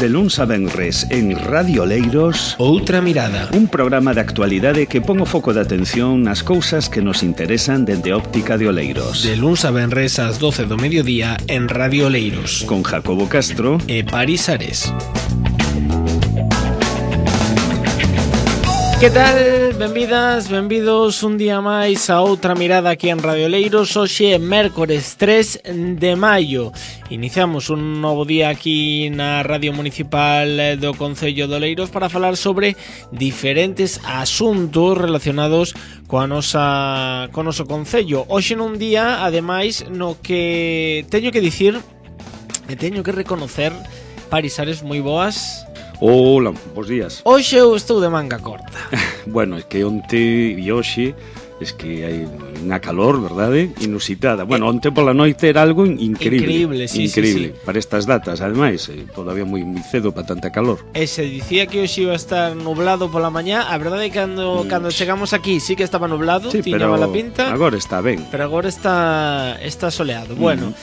De luns a venres en Radio Oleiros, Outra Mirada, un programa de actualidade que pon o foco de atención nas cousas que nos interesan dende óptica de Oleiros. de luns a venres ás 12 do mediodía en Radio Oleiros, Con Jacobo Castro e Paris Ares. Que tal? Benvidas, benvidos un día máis a Outra Mirada aquí en Radio Oleiros. Hoxe é mércores 3 de maio. Iniciamos un novo día aquí na Radio Municipal do Concello de Oleiros para falar sobre diferentes asuntos relacionados co noso Concello. Hoxe nun día, ademais, no que teño que dicir e teño que reconocer, Paris Ares, moi boas. Hola, bons días. Hoxe eu estou de manga corta. Bueno, é que onte e hoxe es que hai unha calor, verdade? Inusitada. Bueno, onte pola noite era algo increíble. Sí, increíble. sí. Para estas datas, ademais, todavía moi cedo para tanta calor. E se dicía que hoxe iba a estar nublado pola mañá, a verdade é que cando chegamos aquí sí que estaba nublado, Sí, tiña pero mala pinta, agora está ben. pero agora está soleado. Bueno,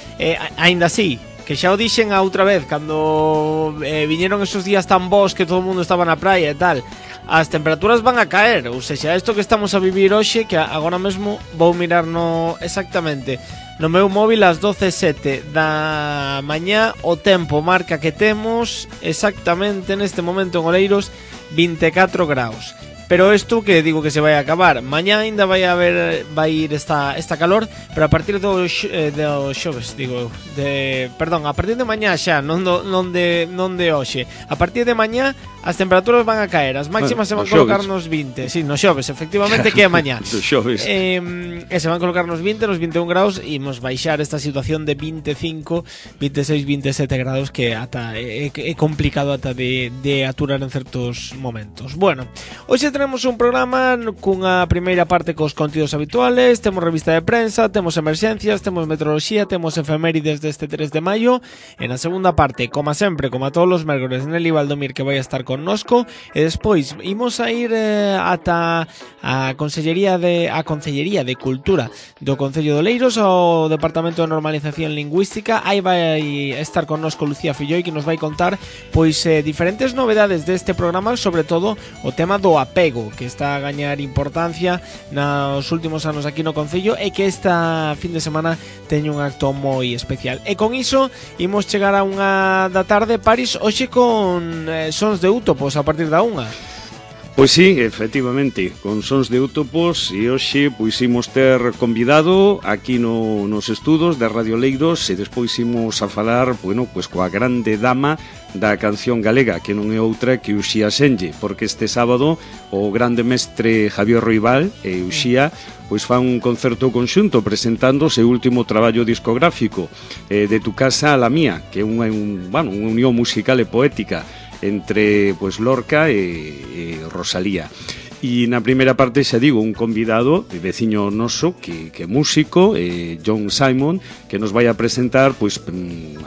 aínda así, que xa o dixen a outra vez cando viñeron esos días tan bons que todo o mundo estaba na praia e tal, as temperaturas van a caer. Ou seja, isto que estamos a vivir hoxe, que agora mesmo vou mirar exactamente no meu móvil ás 12:07 da mañá, o tempo marca que temos exactamente neste momento en Oleiros 24 graus. Pero isto que digo que se vai a acabar. Mañá ainda vai ir esta calor, pero a partir do xoves, a partir de mañá xa, non de hoxe. A partir de mañá as temperaturas van a caer, as máximas se van a colocar nos 20. Sí, no xoves, efectivamente, que é mañá. Do xoves. E se van a colocar nos 20, nos 21 graus, e imos baixar esta situación de 25, 26, 27 graus que ata é complicado ata de aturar en certos momentos. Bueno, hoxe tenemos un programa cunha primeira parte cos contidos habituales, temos revista de prensa, temos emerxencias, temos meteoroloxía, temos efemérides deste 3 de maio. En a segunda parte, como sempre, como a todos os mércores, Nelly Valdomir, que vai a estar connosco, e despois imos a ir ata a Consellería de Cultura do Concello de Oleiros, ao Departamento de Normalización Lingüística. Aí vai estar connosco Lucía Filloi, que nos vai contar pois diferentes novedades deste programa, sobre todo o tema do apego, que está a gañar importancia nos últimos anos aquí no Concello, e que esta fin de semana teño un acto moi especial. E con iso imos chegar a unha da tarde, Paris, hoxe con sons de Útopos a partir da 1. Pois sí, efectivamente, con sons de Útopos, e hoxe pois imos ter convidado aquí nos estudos de Radio Oleiros, e despois imos a falar, bueno, pois coa grande dama da canción galega, que non é outra que Uxía Senlle, porque este sábado o grande mestre Javier Roibal e Uxía pois fan un concerto conxunto presentando o seu último traballo discográfico, De tu casa a la mía, que é unha unión musical e poética entre pois Lorca e Rosalía. E na primeira parte, xa digo, un convidado, veciño noso, que é músico, John Simon, que nos vai a presentar pois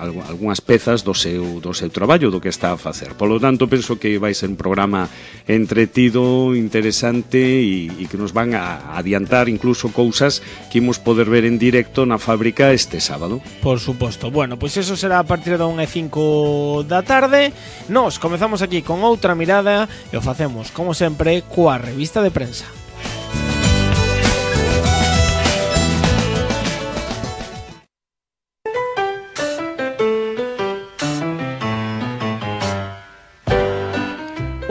algunhas pezas do seu traballo, do que está a facer. Polo tanto, penso que vai ser un programa entretido, interesante, e que nos van a adiantar incluso cousas que imos poder ver en directo na fábrica este sábado. Por suposto. Bueno, pois eso será a partir da 1:05 da tarde. Nos comezamos aquí con Outra Mirada e o facemos, como sempre, coa revista de prensa.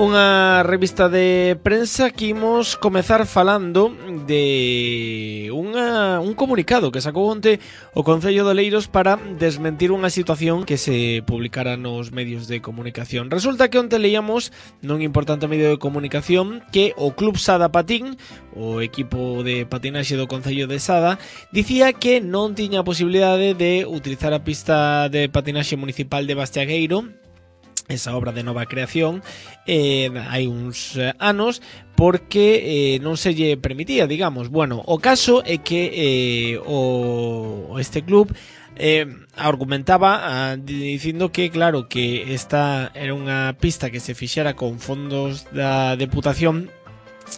Unha revista de prensa que imos comezar falando de un comunicado que sacou onte o Concello de Oleiros para desmentir unha situación que se publicara nos medios de comunicación. Resulta que onte leíamos nun importante medio de comunicación que o Club Sada Patín, o equipo de patinaxe do Concello de Sada, dicía que non tiña a posibilidade de utilizar a pista de patinaxe municipal de Bastiagueiro, esa obra de nova creación, hai uns anos, porque non se lle permitía, digamos. Bueno, o caso é que este club argumentaba dicindo que, claro, que esta era unha pista que se fixera con fondos da Deputación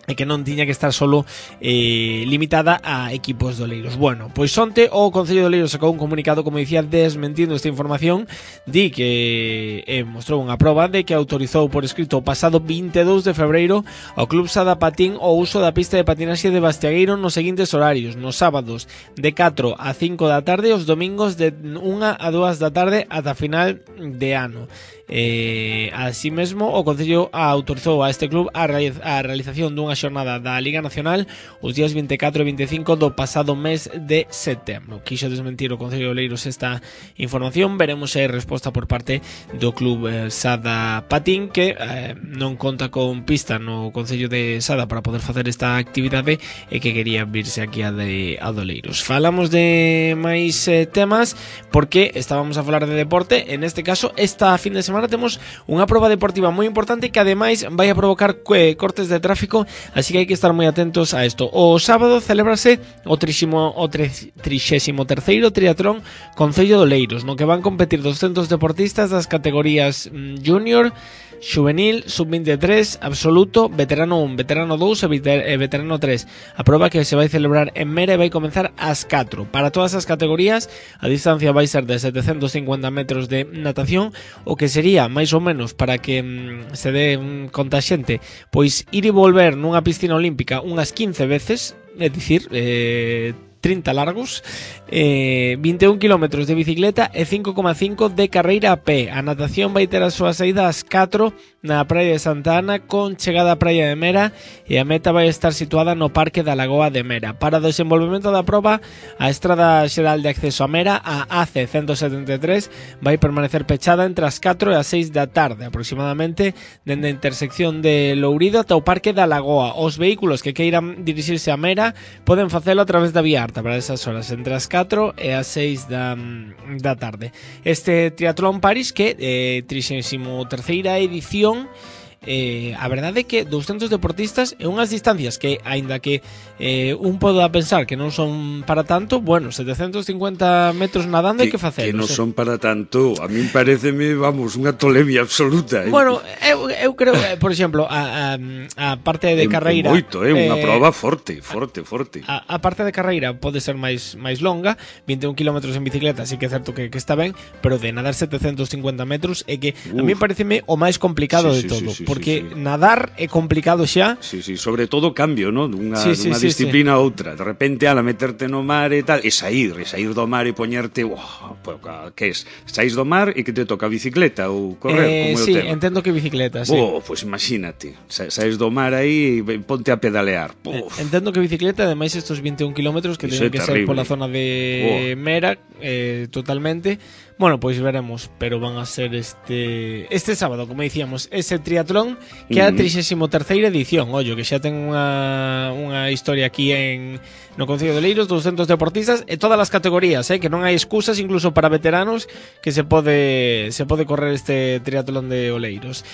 e que non tiña que estar solo limitada a equipos de Oleiros. Bueno, pois onte o Concello de Oleiros sacou un comunicado, como dicía, desmentindo esta información. Di que mostrou unha proba de que autorizou por escrito o pasado 22 de febreiro ao Club Sada Patín o uso da pista de patinaxe de Bastiagueiro nos seguintes horarios: nos sábados de 4 a 5 da tarde, os domingos de 1 a 2 da tarde ata final de ano. Así mesmo, o Concello autorizou a este club a realización dunha xornada da Liga Nacional os días 24 e 25 do pasado mes de setembro. Quixo desmentir o Concello de Oleiros esta información. Veremos se hai resposta por parte do club Sada Patín, que non conta con pista no Concello de Sada para poder facer esta actividade e que quería virse aquí a de Oleiros. Falamos de máis temas porque estábamos a falar de deporte. En este caso, esta fin de semana temos unha proba deportiva moi importante que ademais vai a provocar cortes de tráfico, así que hai que estar moi atentos a isto. O sábado celébrase o 33º triatlón Concello de Oleiros, no que van competir 200 deportistas das categorías junior, xuvenil, sub-23, absoluto, veterano 1, veterano 2 e veterano 3. A proba que se vai celebrar en Mera vai comenzar ás 4. Para todas as categorías, a distancia vai ser de 750 metros de natación, o que sería máis ou menos, para que se dé conta xente, pois ir e volver nunha piscina olímpica unhas 15 veces, é dicir, 30 largos, 21 kilómetros de bicicleta e 5,5 de carreira a pé. A natación vai ter a súa saída ás 4 na praia de Santa Ana, con chegada á praia de Mera, e a meta vai estar situada no Parque da Lagoa de Mera. Para o desenvolvemento da proba, a Estrada Xeral de Acceso a Mera, a AC 173, vai permanecer pechada entre as 4 e as 6 da tarde, aproximadamente, dende a intersección de Lourido ata o Parque da Lagoa. Os vehículos que queiran dirixirse a Mera poden facelo a través da vía para esas horas, entre as 4 e as 6 da tarde. Este Triatlón París, que 33ª edición, a verdade é que 200 deportistas e unhas distancias que, aínda que un poda pensar que non son para tanto, bueno, 750 metros nadando hai que facer. Que non son para tanto, a min pareceme, vamos, unha tolemia absoluta. Bueno, eu creo, por exemplo, a parte de carreira... Moito, unha proba forte. A parte de carreira pode ser máis longa, 21 kilómetros en bicicleta, sí que é certo que está ben, pero de nadar 750 metros é que a mí pareceme o máis complicado de todo. Porque nadar é complicado xa. Sí, sobre todo cambio, ¿no? Dunha disciplina a outra. De repente, ala meterte no mar e tal, e sair do mar e poñerte, que es? Saís do mar e que te toca bicicleta ou correr, como é o sí, tema? entendo que bicicleta, sí. Pues imagínate, saís do mar aí e ponte a pedalear. Entendo que bicicleta, ademais estos 21 kilómetros que teñen que ser pola zona de Mera, totalmente. Bueno, pois veremos, pero van a ser este sábado, como dicíamos, ese triatlón que é a 33ª edición. Ollo, que xa ten unha historia aquí no Concello de Oleiros, 200 deportistas e todas as categorías, que non hai excusas incluso para veteranos, que se pode correr este triatlón de Oleiros.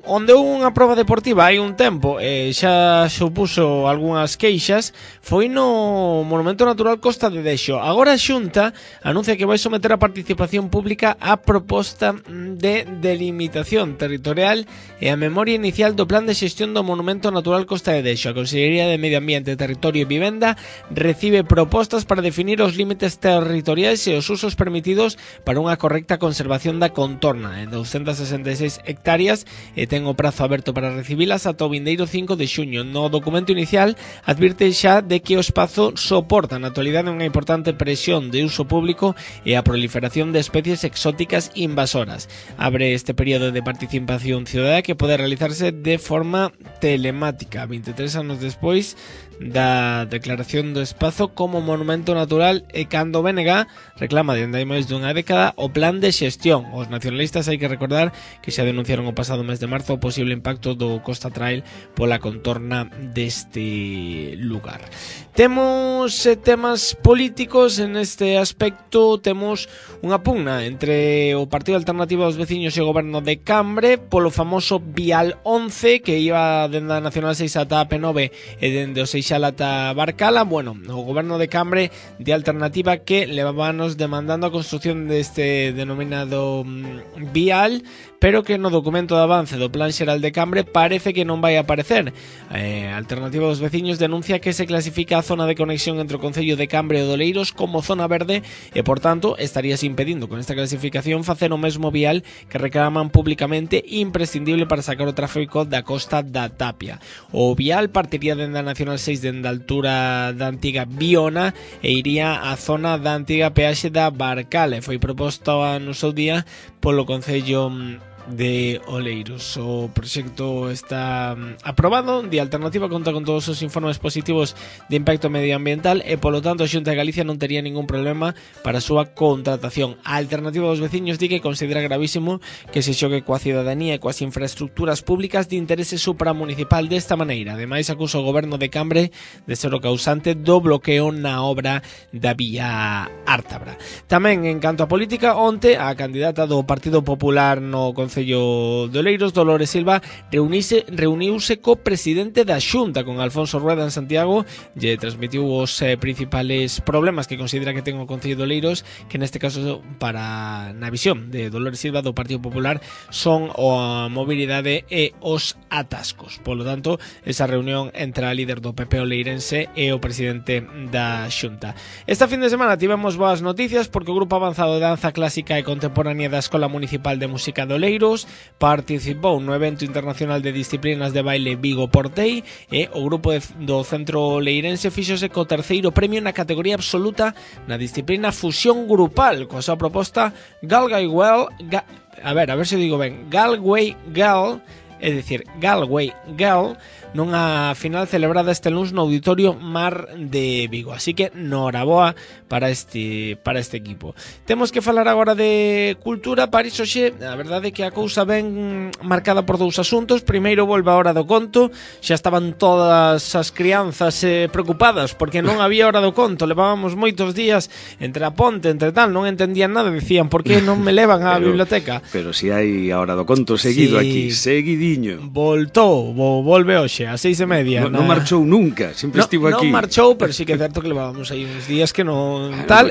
Onde houve unha proba deportiva hai un tempo, xa supuso algunhas queixas, foi no Monumento Natural Costa de Dexo. Agora a Xunta anuncia que vai someter a participación pública a proposta de delimitación territorial e a memoria inicial do Plan de Xestión do Monumento Natural Costa de Dexo. A Consellería de Medio Ambiente, Territorio e Vivenda recibe propostas para definir os límites territoriais e os usos permitidos para unha correcta conservación da contorna en 266 hectáreas e ten o prazo aberto para recibilas ata o vindeiro 5 de xuño. No documento inicial advirte xa de que o espazo soporta na actualidade unha importante presión de uso público e a proliferación de especies exóticas invasoras. Abre este período de participación cidadá que pode realizarse de forma telemática 23 anos despois da declaración do espazo como monumento natural e cando o BNG reclama dende hai máis dunha década o plan de xestión. Os nacionalistas hai que recordar que xa denunciaron o pasado mes de marzo o posible impacto do Costa Trail pola contorna deste lugar. Temos temas políticos en este aspecto. Temos unha pugna entre o Partido Alternativo dos Veciños e o Goberno de Cambre polo famoso Vial 11 que iba dende a Nacional 6 ata a P9 e dende o 6 Seixal ata Barcala. Bueno, o goberno de Cambre de Alternativa que levábanos demandando a construción deste denominado vial, pero que no documento de avance do Plan Xeral de Cambre parece que non vai aparecer. Alternativa dos veciños denuncia que se clasifica a zona de conexión entre o Concello de Cambre e Oleiros como zona verde e, por tanto, estaríase impedindo con esta clasificación facer o mesmo vial que reclaman públicamente imprescindible para sacar o tráfico da costa da Tapia. O vial partiría dende a Nacional 6 dende a altura da antiga Biona e iría á zona da antiga peaxe da Barcala. Foi proposto no seu día polo Concello de Oleiros. O proxecto está aprobado. De Alternativa conta con todos os informes positivos de impacto medioambiental e, polo tanto, a Xunta de Galicia non tería ningún problema para a súa contratación. A Alternativa dos veciños di que considera gravísimo que se xogue coa cidadanía e coas infraestructuras públicas de interese supramunicipal desta maneira. Ademais, acusa o goberno de Cambre de ser o causante do bloqueo na obra da vía Ártabra. Tamén, en canto a política, onte a candidata do Partido Popular no Concello de Oleiros, Dolores Silva, reuniuse co presidente da Xunta, con Alfonso Rueda, en Santiago. Lle transmitiu os principales problemas que considera que ten o Concello de Oleiros, que neste caso, para na visión de Dolores Silva do Partido Popular, son a mobilidade e os atascos. Polo tanto, esa reunión entre a líder do PP oleirense e o presidente da Xunta. Esta fin de semana tivemos boas noticias porque o Grupo Avanzado de Danza Clásica e Contemporánea da Escola Municipal de Música de Oleiros participou no evento internacional de disciplinas de baile Vigo Portei e o grupo do Centro Leirense fíxose co terceiro premio na categoría absoluta na disciplina Fusión Grupal, coa súa proposta Galway Girl, é dicir, Galway Girl, nunha final celebrada este luns no Auditorio Mar de Vigo. Así que noraboa para este equipo. Temos que falar agora de cultura. París hoxe, a verdade é que a cousa ben marcada por dous asuntos. Primeiro, volve a hora do conto. Xa estaban todas as crianzas preocupadas porque non había hora do conto. Levábamos moitos días entre a ponte, entre tal, non entendían nada. Decían, por que non me levan á biblioteca? Pero si hai a hora do conto seguido, sí, aquí, seguidiño. Volve hoxe a 6:30. Non marchou nunca, sempre estivo aquí. Non marchou, pero sí que é certo que levábamos aí uns días que non tal,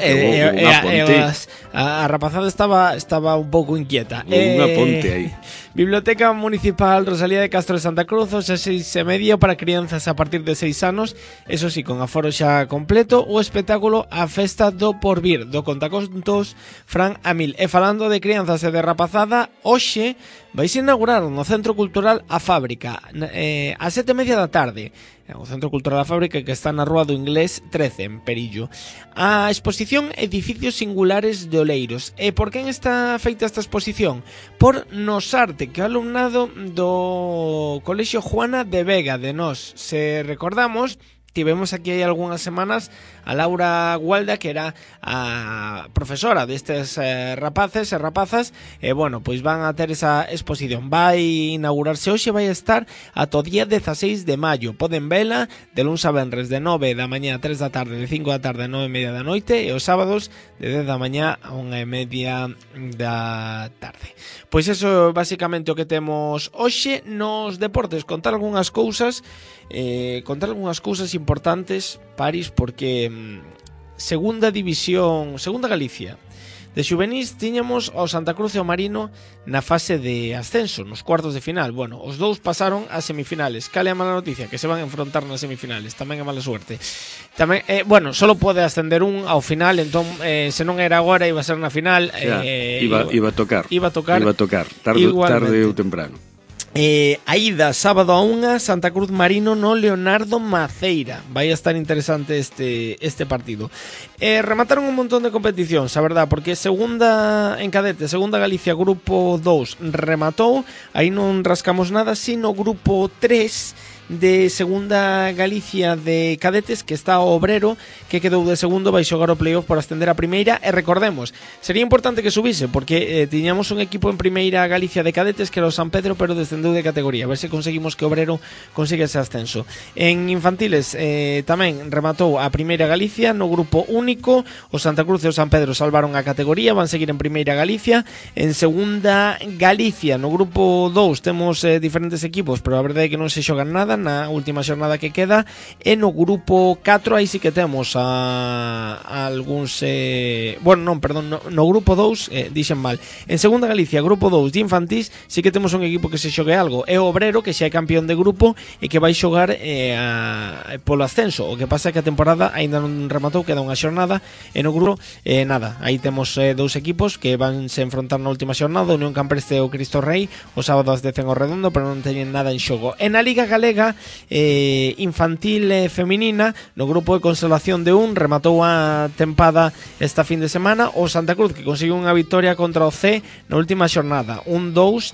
a rapazada estaba un pouco inquieta. Unha ponte aí. Biblioteca Municipal Rosalía de Castro de Santa Cruz, a 6:30 para crianzas a partir de 6 anos, eso sí, con aforo xa completo. O espectáculo A Festa do Porvir, do contacontos Fran Amil. E falando de crianzas e de rapazada, hoxe vais inaugurar no Centro Cultural A Fábrica a 7:30 da tarde. O Centro Cultural da Fábrica, que está na Rúa do Inglés 13, en Perillo. A exposición Edificios Singulares de Oleiros. E por quen está feita esta exposición? Por Nosarte, que é o alumnado do Colexio Juana de Vega de Nos. Se recordamos, tivemos aquí hai algunhas semanas a Laura Gualda, que era a profesora destes rapaces e rapazas, e bueno, pois van a ter esa exposición. Vai inaugurarse hoxe, vai estar ata o día 16 de maio. Poden vela de luns a venres de 9 da mañá a 3 da tarde, de 5 da tarde a 9:30 da noite, e os sábados de 10 da mañá a 1:30 da tarde. Pois eso basicamente o que temos hoxe nos deportes. Contar algunhas cousas importantes, París, porque segunda división, segunda Galicia de xuvenís, tiñamos ao Santa Cruz e ao Marino na fase de ascenso, nos cuartos de final. Bueno, os dous pasaron ás semifinales. Cale a mala noticia? Que se van a enfrontar nas semifinales. Tamén é mala suerte. Tamén, bueno, solo pode ascender un ao final, entón, se non era agora, iba a ser na final. Iba a tocar. Tarde ou temprano. A ida sábado a 1, Santa Cruz Marino no Leonardo Maceira. Vai a estar interesante este partido. Remataron un montón de competicións, a verdad, porque segunda en cadete, segunda Galicia, grupo 2 rematou. Aí non rascamos nada, sino grupo 3 de segunda Galicia de cadetes, que está o Obrero, que quedou de segundo, vai xogar o playoff por ascender a primeira. E recordemos, sería importante que subise, porque tiñamos un equipo en primeira Galicia de cadetes que era o San Pedro, pero descendeu de categoría. A ver se conseguimos que o Obrero consiga ese ascenso. En infantiles tamén rematou a primeira Galicia no grupo único. O Santa Cruz e o San Pedro salvaron a categoría, van seguir en primeira Galicia. En segunda Galicia, no grupo 2 temos diferentes equipos, pero a verdade é que non se xogan nada. xornada, na última xornada que queda, e no grupo 4 aí sí que temos a algúns no grupo 2 dixen mal. En segunda Galicia, grupo 2 de infantís, sí que temos un equipo que se xogue algo, é o Obrero, que xa é campeón de grupo e que vai xogar polo ascenso. O que pasa é que a temporada aínda non rematou, queda unha xornada, e no grupo nada, aí temos dous equipos que van se enfrontar na última xornada, Unión Campreste e o Cristo Rei, o sábado ás 10 en o Redondo, pero non teñen nada en xogo. En a Liga Galega infantil e feminina, no grupo de consolación de rematou a tempada esta fin de semana o Santa Cruz, que conseguiu unha victoria contra o C na última xornada, 1-2,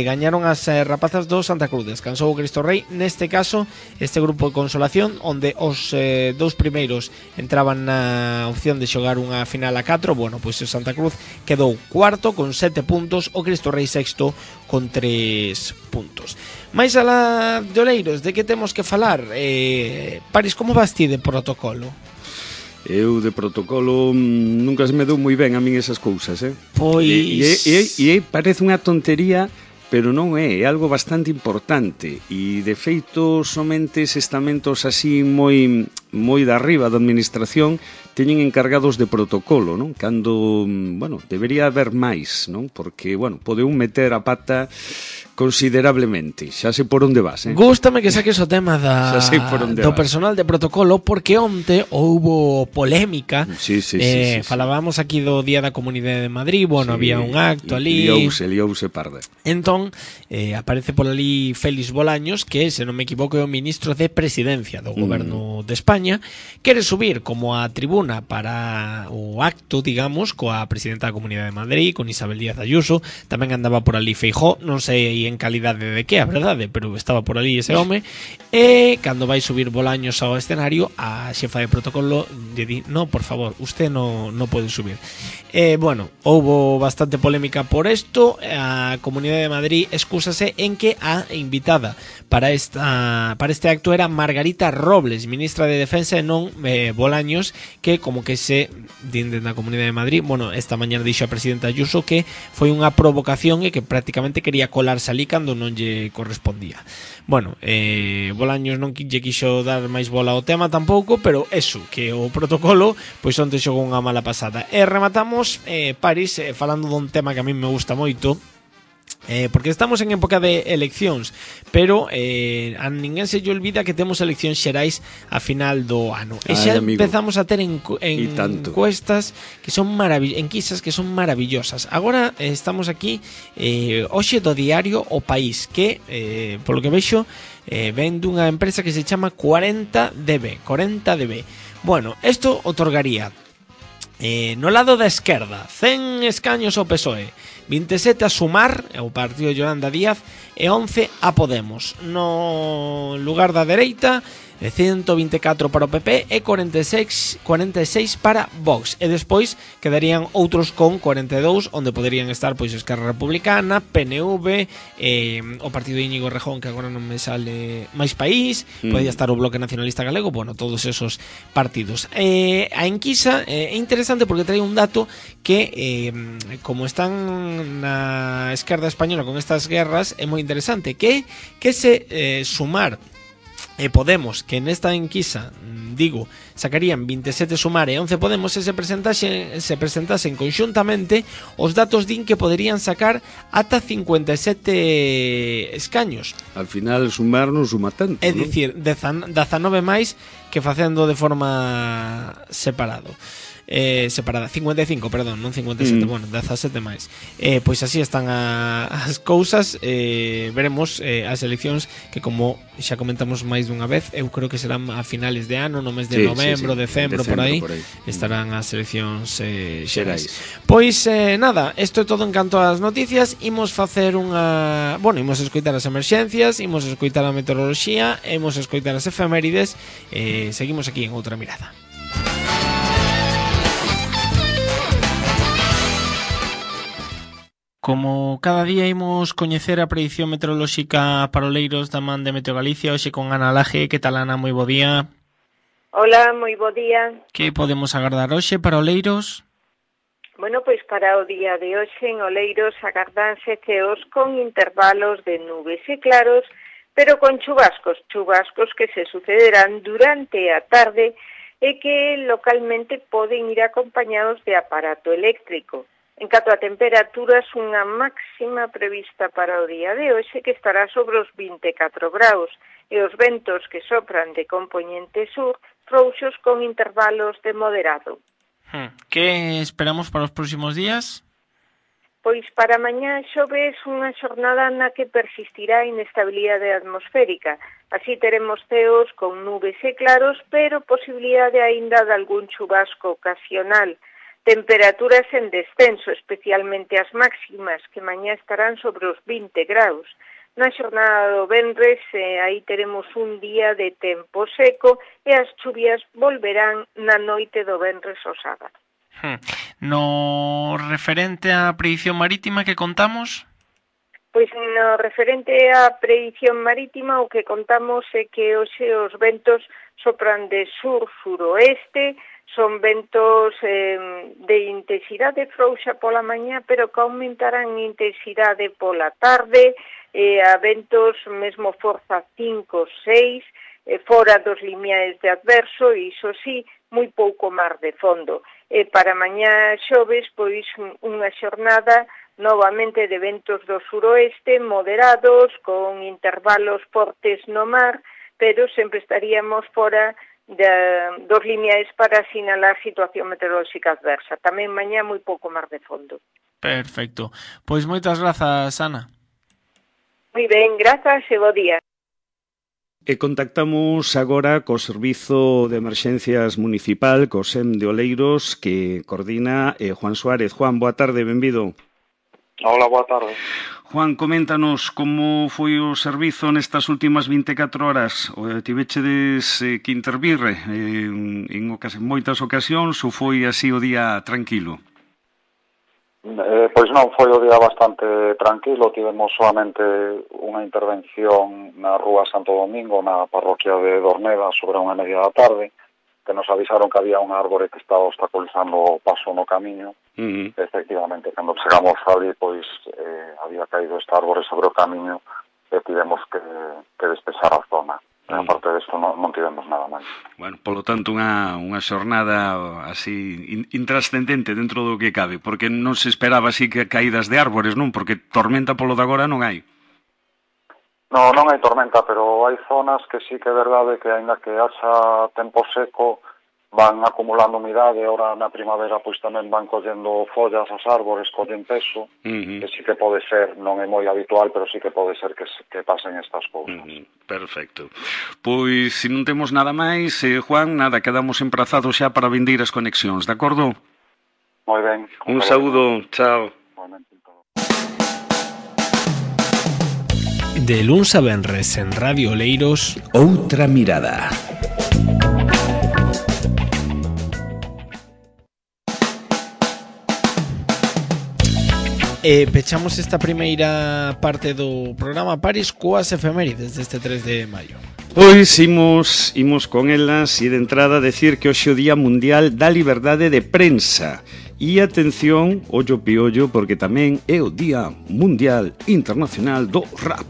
gañaron as rapazas do Santa Cruz. Descansou o Cristo Rei, neste caso este grupo de consolación, onde os dous primeiros entraban na opción de xogar unha final a 4. Bueno, pois o Santa Cruz quedou cuarto con 7 puntos, o Cristo Rei sexto con 3 puntos. Mais alá de Oleiros, de que temos que falar? Paris, como vas ti de protocolo? Eu de protocolo nunca se me dou moi ben a min esas cousas, Pois... E parece unha tontería, pero non é algo bastante importante, e de feito somente eses estamentos así moi de arriba da administración teñen encargados de protocolo, non? Cando, debería haber máis, non? Porque, pode un meter a pata considerablemente. Xa sei por onde vas, Gústame que saques o tema do personal de protocolo, porque onte houbo polémica. Sí. Falábamos aquí do Día da Comunidade de Madrid, había un acto ali. Liouse parda. Entón, aparece por ali Félix Bolaños, que, se non me equivoco, é o ministro de Presidencia do Goberno de España, quere subir como a tribuna para o acto, digamos, coa presidenta da Comunidade de Madrid, con Isabel Díaz Ayuso. Tamén andaba por ali Feijóo, non sei en calidade de que, a verdade, pero estaba por ali ese home. E cando vai subir Bolaños ao escenario, a xefa de protocolo lle di: no, por favor, usted no pode subir. Houbo bastante polémica por isto. A Comunidade de Madrid excúsase en que a invitada para este acto era Margarita Robles, ministra de Defensa, e non Bolaños, que como que se din dende a Comunidade de Madrid. Esta mañana dixo a presidenta Ayuso que foi unha provocación e que prácticamente quería colarse ali cando non lle correspondía. Bolaños non lle quixo dar máis bola ao tema tampouco, pero eso, que o protocolo pois onte xogou unha mala pasada. E rematamos, Paris, falando dun tema que a mí me gusta moito, porque estamos en época de eleccións, pero a ninguén se lle olvida que temos eleccións xerais a final do ano. E xa empezamos a ter encuestas que son enquisas que son maravillosas. Agora estamos aquí hoxe do diario O País, que polo que vexo ven dunha empresa que se chama 40DB. Isto otorgaría no lado da esquerda 100 escaños ao PSOE, 27 a Sumar, o partido de Yolanda Díaz, e 11 a Podemos. No lugar da dereita, 124 para o PP e 46 para Vox. E despois quedarían outros con 42, onde poderían estar pois Esquerra Republicana, PNV, o partido de Íñigo Errejón, que agora non me sale, máis País, podría estar o Bloque Nacionalista Galego, todos esos partidos. A enquisa é interesante porque trae un dato que, como están na esquerda española con estas guerras, é moi interesante, que se Sumar e Podemos, que nesta enquisa, sacarían 27 Sumar e 11 Podemos, se presentasen conxuntamente, os datos din que poderían sacar ata 57 escaños. Al final Sumar non suma tanto, é dicir, 19 máis que facendo de forma separada, 55, perdón, non 57, 17 máis. Pois así están as cousas. Veremos as eleccións, que como xa comentamos máis dunha vez, eu creo que serán a finales de ano, no mes de novembro, decembro, por aí estarán as eleccións xerais. Pois nada, isto é todo en canto ás noticias. Imos facer imos escoitar as emerxencias, imos escoitar a meteoroloxía, imos escoitar as efemérides. Seguimos aquí en Outra Mirada. Como cada día imos coñecer a predición meteorolóxica para Oleiros da man de Meteo Galicia, hoxe con Ana Laje. Que tal, Ana? Moi bo día. Hola, moi bo día. Que podemos agardar hoxe para Oleiros? Pois para o día de hoxe en Oleiros agardanse ceos con intervalos de nubes e claros pero con chubascos que se sucederán durante a tarde e que localmente poden ir acompañados de aparato eléctrico. En canto a temperaturas, unha máxima prevista para o día de hoxe que estará sobre os 24 graus e os ventos que sopran de compoñente sur frouxos con intervalos de moderado. Que esperamos para os próximos días? Pois para mañá xoves unha xornada na que persistirá a inestabilidade atmosférica. Así teremos ceos con nubes e claros, pero posibilidade aínda de algún chubasco ocasional. Temperaturas en descenso, especialmente as máximas, que mañá estarán sobre os 20 graus. Na xornada do venres, aí teremos un día de tempo seco e as chuvias volverán na noite do venres ao sábado. No referente á predición marítima que contamos? Pois no referente á predición marítima o que contamos é que hoxe os ventos sopran de sur-suroeste, son ventos de intensidade frouxa pola mañá, pero que aumentarán en intensidade pola tarde, a ventos mesmo forza 5, 6, fora dos limiares de adverso, e iso sí, moi pouco mar de fondo. Para mañá xoves, pois unha xornada novamente de ventos do suroeste, moderados, con intervalos fortes no mar, pero sempre estaríamos fora dos limiares para sinalar situación meteorolóxica adversa. Tamén mañá moi pouco mar de fondo. Perfecto. Pois moitas grazas, Ana. Moi ben, grazas e bo día. E contactamos agora co Servizo de Emerxencias Municipal, co SEM de Oleiros, que coordina Juan Suárez. Juan, boa tarde, benvido. Hola, boa tarde. Juan, coméntanos como foi o servizo nestas últimas 24 horas. Tivechedes que intervir en moitas ocasións ou foi así o día tranquilo? Pois non, foi o día bastante tranquilo. Tivemos solamente unha intervención na Rúa Santo Domingo, na parroquia de Dorneda, sobre unha media da tarde, que nos avisaron que había un árbore que estaba obstaculizando o paso no camiño. Efectivamente, cando chegamos ali, pois había caído este árbore sobre o camiño e tivemos que despexar a zona. A parte disto non tivemos nada máis. Bueno, polo tanto, unha xornada así intrascendente dentro do que cabe, porque non se esperaba así que caídas de árbores, non? Porque tormenta polo de agora non hai. Non hai tormenta, pero hai zonas que sí que é verdade que aínda que haxa tempo seco van acumulando umidade. Ahora na primavera pois tamén van collendo follas as árbores, collen peso, que sí que pode ser, non é moi habitual, pero sí que pode ser que pasen estas cousas. Perfecto. Pois, se non temos nada máis, Juan, nada, quedamos emprazados xa para vindeiras conexións, de acordo? Moi ben. Un saúdo, chao. De luns a venres en Radio Oleiros, Outra mirada. Pechamos esta primeira parte do programa Paris coas efemérides deste 3 de maio. Pois imos con elas e de entrada decir que hoxe é o Día Mundial da Liberdade de Prensa. E atención, ollo piollo, porque tamén é o Día Mundial Internacional do Rap.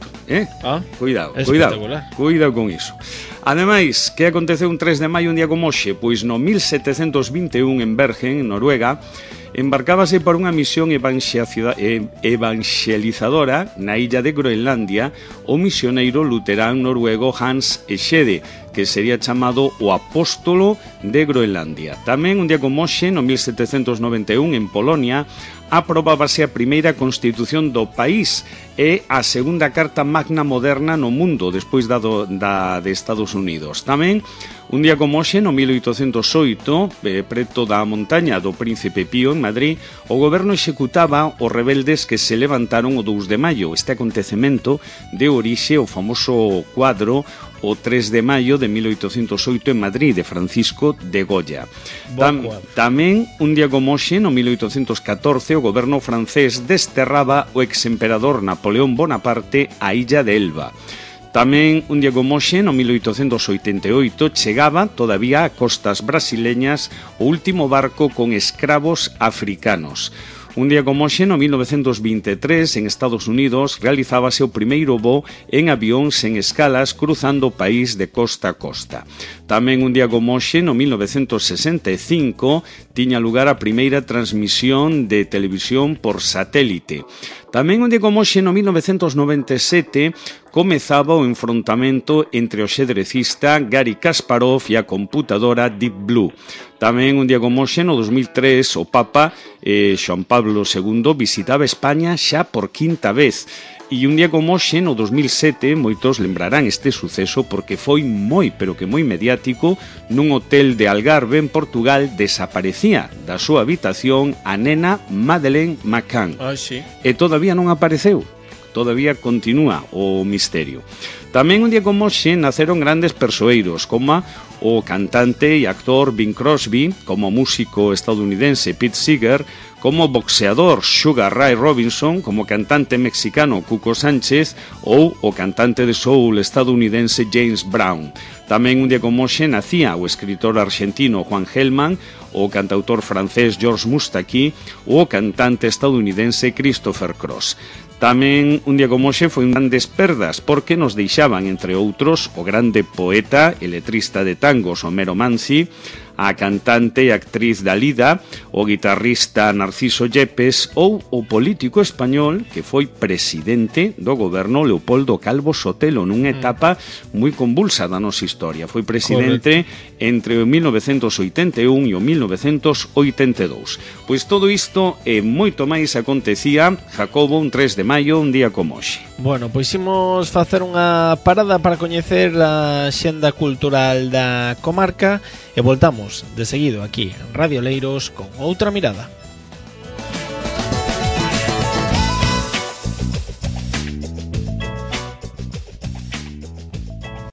Cuidado con iso. Ademais, que aconteceu un 3 de maio un día como hoxe? Pois no 1721 en Bergen, en Noruega, embarcábase para unha misión evangelizadora na illa de Groenlandia o misioneiro luterán noruego Hans Egede, que sería chamado o apóstolo de Groenlandia. Tamén un día como hoxe, no 1791, en Polonia, aprobábase a primeira constitución do país e a segunda carta magna moderna no mundo, despois da de Estados Unidos. Tamén, un día como hoxe, no 1808, preto da montaña do Príncipe Pío, en Madrid, o goberno executaba os rebeldes que se levantaron o 2 de maio. Este acontecemento de orixe o famoso cuadro o 3 de maio de 1808 en Madrid, de Francisco de Goya. Tamén, un día como hoxe, no 1814, o goberno francés desterraba o exemperador Napoleón Bonaparte á illa de Elba. Tamén, un día como hoxe, no 1888, chegaba todavía a costas brasileñas o último barco con escravos africanos. Un día como hoxe, no 1923, en Estados Unidos, realizábase o primeiro voo en avión sen escalas cruzando o país de costa a costa. Tamén un día como hoxe, no 1965, tiña lugar a primeira transmisión de televisión por satélite. Tamén un día como hoxe, no 1997, comezaba o enfrontamento entre o xadrecista Garry Kasparov e a computadora Deep Blue. Tamén un día como hoxe, no 2003, o Papa Xoan Pablo II visitaba España xa por quinta vez. E un día como hoxe, no 2007, moitos lembrarán este suceso porque foi moi, pero que moi mediático. Nun hotel de Algarve, en Portugal, desaparecía da súa habitación a nena Madeleine McCann. Sí. E todavía non apareceu. Todavía continúa o misterio. Tamén un día como hoxe naceron grandes persoeiros, como o cantante e actor Bing Crosby, como músico estadounidense Pete Seeger, como boxeador Sugar Ray Robinson, como cantante mexicano Cuco Sánchez ou o cantante de soul estadounidense James Brown. Tamén un día como hoxe nacía o escritor argentino Juan Gelman, o cantautor francés Georges Moustaki ou o cantante estadounidense Christopher Cross. Tamén un día como hoxe foi grandes perdas porque nos deixaban, entre outros, o grande poeta e letrista de tangos Homero Manzi, a cantante e actriz Dalida, o guitarrista Narciso Yepes ou o político español que foi presidente do goberno Leopoldo Calvo Sotelo nunha etapa moi convulsa da nosa historia. Foi presidente entre o 1981 e o 1982. Pois todo isto e moito máis acontecía, Jacobo, un 3 de maio, un día como hoxe. Bueno, pois imos facer unha parada para coñecer a xenda cultural da comarca e voltamos de seguido aquí en Radio Leiros con outra mirada.